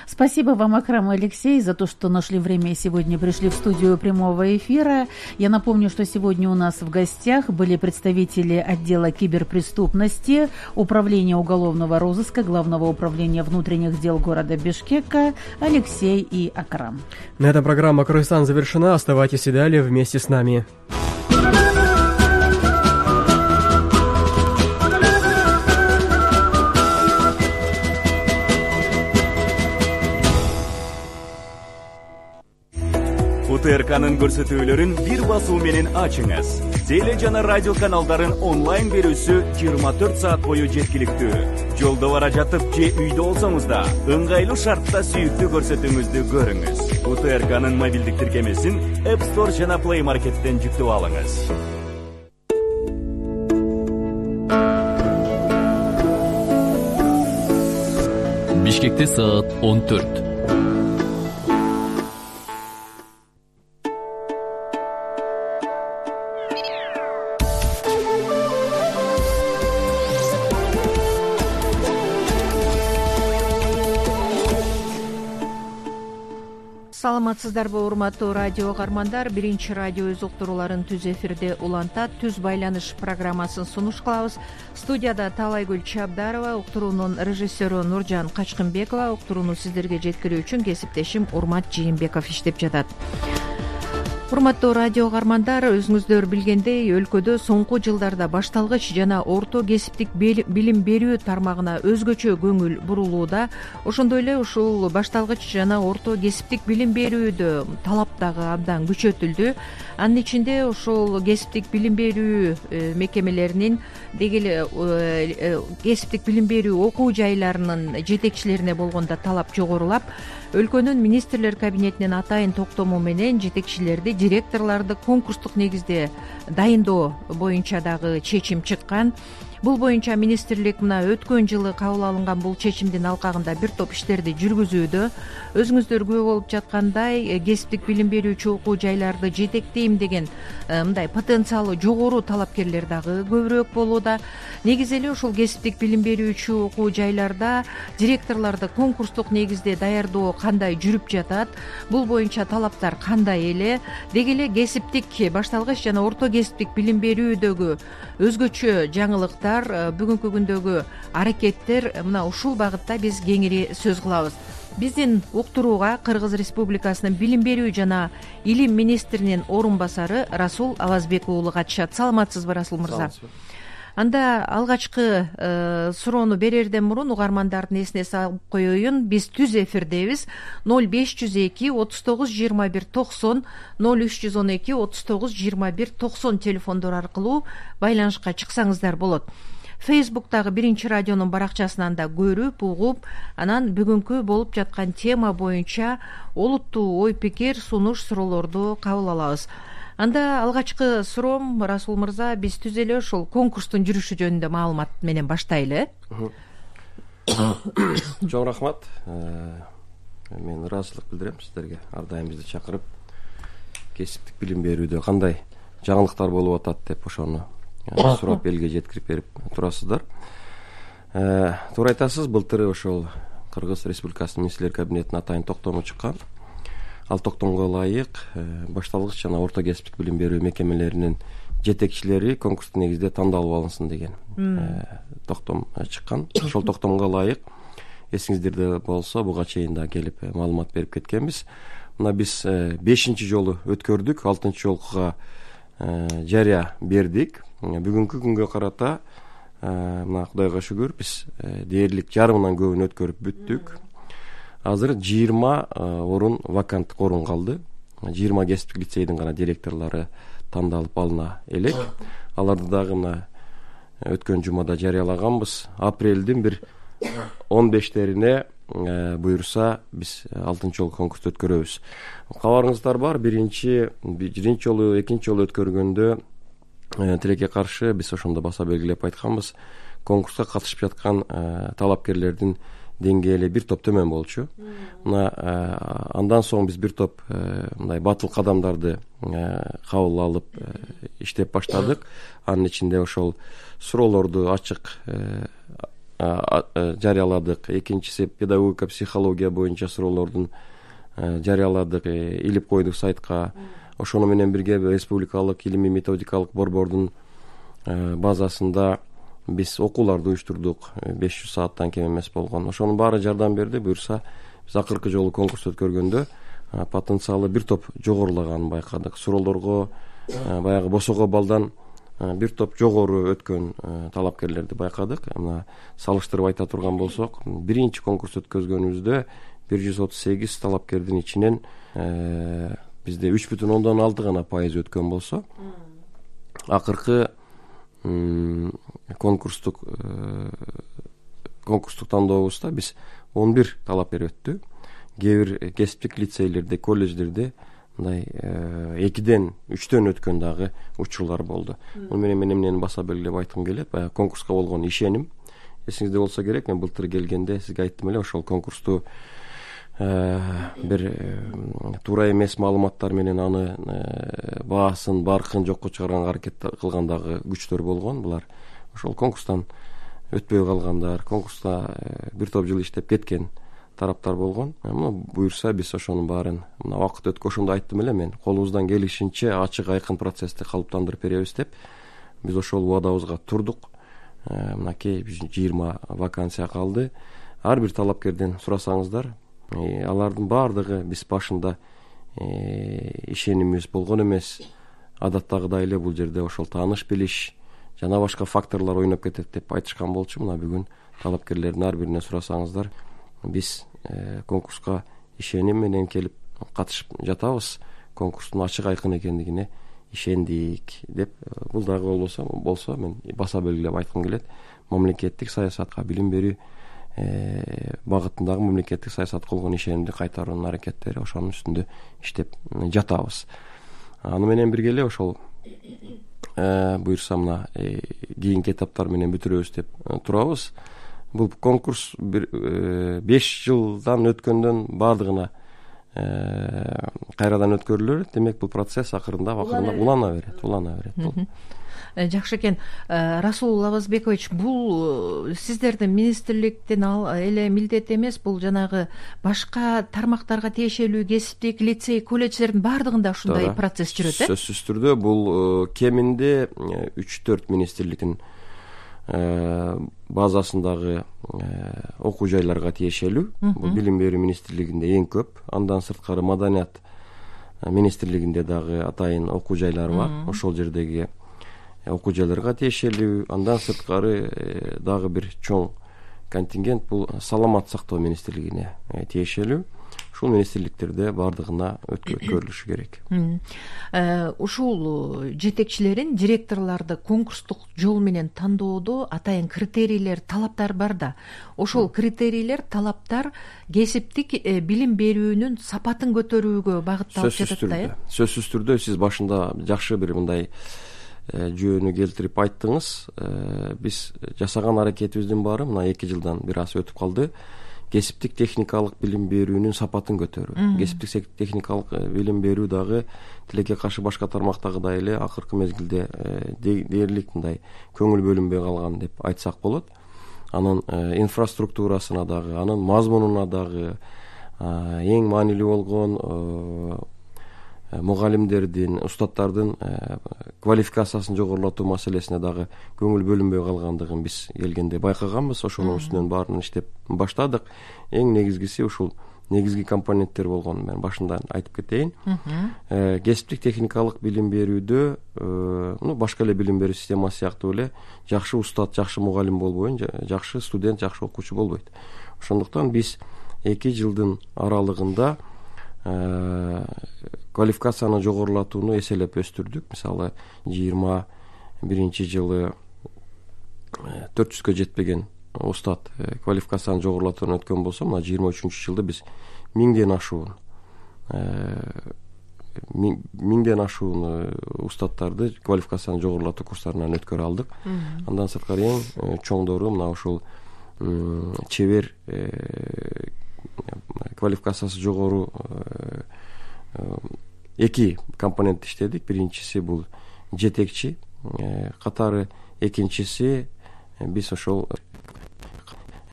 Спасибо вам, Акрам и Алексей, за то, что нашли время и сегодня пришли в студию прямого эфира. Я напомню, что сегодня у нас в гостях были представители отдела киберпреступности, Управления уголовного розыска, Главного управления внутренних дел города Бишкека Алексей и Акрам. На этом программа «Кыргызстан» завершена. Оставайтесь и далее вместе с нами. УТРКнын көрсөтүүлөрүн бир басуу менен ачыңыз. Теле жана радио каналдарын онлайн берүүсү 24 саат бою жеткиликтүү. Жолдо бара жатып же үйдө болсоңуз да ыңгайлуу шартта сүйүктүү көрсөтүүңүздү көрүңүз. УТРКнын мобилдик тиркемесин App Store жана Play Market'тен жүктөп алыңыз. Бишкекте саат 14. Саламатсыздарбы, урматтуу радио каармандар. Биринчи радио өз уктурууларын түз эфирде улантат. Түз байланыш программасын сунуш кылабыз. Студияда Талайгүл Чабдарова, уктуруунун режиссеру Нуржан Качкынбекова, уктурууну сиздерге жеткирүү үчүн кесиптешим Урмат Жээнбеков иштеп жатат. Урматтуу радио каармандар, өзүңүздөр билгендей, өлкөдө соңку жылдарда башталгыч жана орто кесиптик билим берүү тармагына өзгөчө көңүл бурулууда. Ошондой эле ушул башталгыч жана орто кесиптик билим берүүдө талап дагы абдан күчөтүлдү. Анын ичинде ушул кесиптик билим берүү мекемелеринин, деги эле кесиптик билим берүү окуу жайларынын жетекчилерине болгондо талап жогорулап, өлкөнүн министрлер кабинетинин атайын токтому менен жетекчилерди, директорлорду конкурстук негизде дайындоо боюнча дагы чечим чыккан. Бул боюнча министрлик мына өткөн жылы кабыл алынган бул чечимдин алкагында бир топ иштерди жүргүзүүдө. Өзүңүздөр күбө болуп жаткандай, кесиптик билим берүүчү окуу жайларды жетектейм деген мындай потенциалы жогору талапкерлер дагы көбүрөөк болууда. Негизи эле ушул кесиптик билим берүүчү окуу жайларда директорлорду конкурстук негизде даярдоо кандай жүрүп жатат, бул боюнча талаптар кандай эле, деги эле кесиптик башталгыч жана орто кесиптик билим берүүдөгү өзгөчө жаңылыктар, бүгүнкү күндөгү аракеттер, мына ушул багытта биз кеңири сөз кылабыз. Биздин уктурууга Кыргыз Республикасынын билим берүү жана илим министринин орун басары Расул Авазбек уулу катышат. Саламатсызбы, Расул мырза? Анда алгачкы суроону берерден мурун угармандардын эсине салып коеюн. Биз түз эфирдебиз. 0502 39 21 90 0312 39 21 90 телефондор аркылуу байланышка чыксаңыздар болот. Фейсбуктагы биринчи радионун баракчасынан да көрүп, угуп, анан бүгүнкү болуп жаткан тема боюнча олуттуу ой пикир, сунуш, суроолорду кабыл алабыз. Анда алгачкы суроом, Расул мырза, биз түз эле ушул конкурстун жүрүшү жөнүндө маалымат менен баштайлы. Чоң рахмат. Мен ыраазычылык билдирем сиздерге. Ар дайым бизди чакырып, кесиптик билим берүүдө кандай жаңылыктар болуп атат деп ошону сурап элге жеткирип берип турасыздар. Туура айтасыз, былтыр ошол Кыргыз Республикасынын министрлер кабинетинин атайын токтому чыккан. Ал токтомго ылайык башталгыч жана орто кесиптик билим берүү мекемелеринин жетекчилери конкурстук негизде тандалып алынсын деген токтом чыккан. Ошол токтомго ылайык эсиңиздерде болсо буга чейин да келип маалымат берип кеткенбиз. Мына биз 5-чи жолу өткөрдүк, 6-чы жолкуга жарыя бердик. Бүгүнкү күнгө карата мына Кудайга шүгүр биз дээрлик жарымынан көбүн өткөрүп бүттүк. Азыр 20 орун, ваканттык орун калды. 20 кесиптик лицейдин гана директорлору тандалып алына элек. Аларды дагы мына өткөн жумада жарыялаганбыз. Апрелдин бир 15-терине буюрса биз 6-чы жолу конкурсту өткөрөбүз. Кабарыңыздар бар, биринчи жолу, экинчи жолу өткөргөндө тилекке каршы биз ошондо баса белгилеп айтканбыз. Конкурска катышып жаткан талапкерлердин деңгээли бир топ төмөн болчу. Мына андан соң биз бир топ мындай батыл кадамдарды кабыл алып иштеп баштадык. Анын ичинде ошол суроолорду ачык жарыяладык. Экинчиси педагогика психология боюнча суроолордун жарыяладык, илип койдук сайтка. Ошону менен бирге республикалык илимий методикалык борбордун базасында биз окууларды уюштурдук. 500 сааттан кем эмес болгон. Ошонун баары жардам берди. Буюрса биз акыркы жолу конкурс өткөргөндө потенциалы бир топ жогорулаганын байкадык. Суроолорго баягы босого балдан бир топ жогору өткөн талапкерлерди байкадык. Мына салыштырып айта турган болсок, биринчи конкурс өткөзгөнүбүздө 138 талапкердин ичинен бизде 3,6 гана пайыз өткөн болсо, акыркы конкурстук тандообузда биз 11 талапкер өттү. Кээ бир кесиптик лицейлерде, колледждерде мындай 2ден 3төн өткөн дагы учурлар болду. Муну менен мен эмнени баса белгилеп айткым келет, баягы конкурска болгон ишеним. Эсиңизде болсо керек, мен былтыр келгенде сизге айттым эле, ошол конкурсту бир туура эмес маалыматтар менен аны баасын, баркын жокко чыгарганга аракет кылгандагы күчтөр болгон. Булар ошол конкурстан өтпөй калгандар, конкурста бир топ жыл иштеп кеткен тараптар болгон. Буюрса биз ошонун баарын мына убакыт өткөшүндө айттым эле, мен колубуздан келишинче ачык айкын процессти калыптандырып беребиз деп биз ошол убадабызга турдук. Мынакей 20 вакансия калды. Ар бир талапкерден сурасаңыздар, алардын баардыгы биз башында ишенимибиз болгон эмес. Адаттагыдай эле бул жерде ошол тааныш билиш жана башка факторлор ойноп кетет деп айтышкан болчу. Мына бүгүн талапкерлердин ар биринен сурасаңыздар, биз конкурска ишеним менен келип катышып жатабыз, конкурстун ачык айкын экендигине ишендик деп. Бул дагы болсо мен баса белгилеп айткым келет. Мамлекеттик саясатка, билим берүү багытындагы мамлекеттик саясатка болгон ишенимди кайтаруунун аракеттери, ошонун үстүндө иштеп жатабыз. Аны менен бирге эле ошол буюрса мына кийинки этаптар менен бүтүрөбүз деп турабыз. Бул конкурс 5 жылдан өткөндөн баардыгына кайрадан өткөрүлөр. Демек бул процесс акырында улана берет. Жакшы экен. Расул Лавазбекович, бул сиздердин министрликтин эле милдети эмес, бул жанагы башка тармактарга тиешелүү кесиптик лицей, колледждердин баардыгында ушундай процесс жүрөт, Сөзсүз түрдө бул кеминде 3-4 министрликтин базасындагы окуу жайларга тиешелүү. Бул билим берүү министрлигинде эң көп. Андан сырткары маданият министрлигинде дагы атайын окуу жайлары бар. Ошол жердеги окуу жайларга тиешелүү. Андан сырткары дагы бир чоң контингент бул саламат сактоо министрлигине тиешелүү. Ушул министрликтерде баардыгына өткөрүлүшү керек. Ушул жетекчилерин, директорлорду конкурстук жол менен тандоодо атайын критерийлер, талаптар бар да. Ошол критерийлер, талаптар кесиптик билим берүүнүн сапатын көтөрүүгө багытталып жатат да. Сөзсүз түрдө сиз башында жакшы бир мындай жөөнү келтирип айттыңыз. Биз жасаган аракетибиздин баары мына 2 жылдан бир аз өтүп калды. Кесиптик техникалык билим берүүнүн сапатын көтөрүү. Кесиптик техникалык билим берүү дагы тилекке каршы башка тармактагыдай эле акыркы мезгилде дээрлик мындай көңүл бөлүнбөй калган деп айтсак болот. Анын инфраструктурасына дагы, анын мазмунуна дагы, эң маанилүү болгон мугалимдердин, устаттардын квалификациясын жогорулатуу маселесине дагы көңүл бөлүнбөй калгандыгын биз келгенде байкаганбыз. Ошонун үстүнөн баарын иштеп баштадык. Эң негизгиси ушул негизги компоненттер болгонун мен башында айтып кетейин. Кесиптик техникалык билим берүүдө башка эле билим берүү системасы сыяктуу эле жакшы устат, жакшы мугалим болбойт, жакшы студент, жакшы окуучу болбойт. Ошондуктан биз 2 жылдын аралыгында квалификацияны жогорулатууну эселеп өстүрдүк. Мисалы 21 жылы 400гө жетпеген устат квалификацияны жогорулатууну өткөн болсо, мына 23 жылда биз 1000ден ашуун устаттарды квалификацияны жогорулатуу курстарынан өткөрө алдык. Андан сырткары эң чоңдору мына ушул чебер квалификациясы жогору 2 компонент иштедик. Биринчиси бул жетекчи катары, экинчиси биз ошол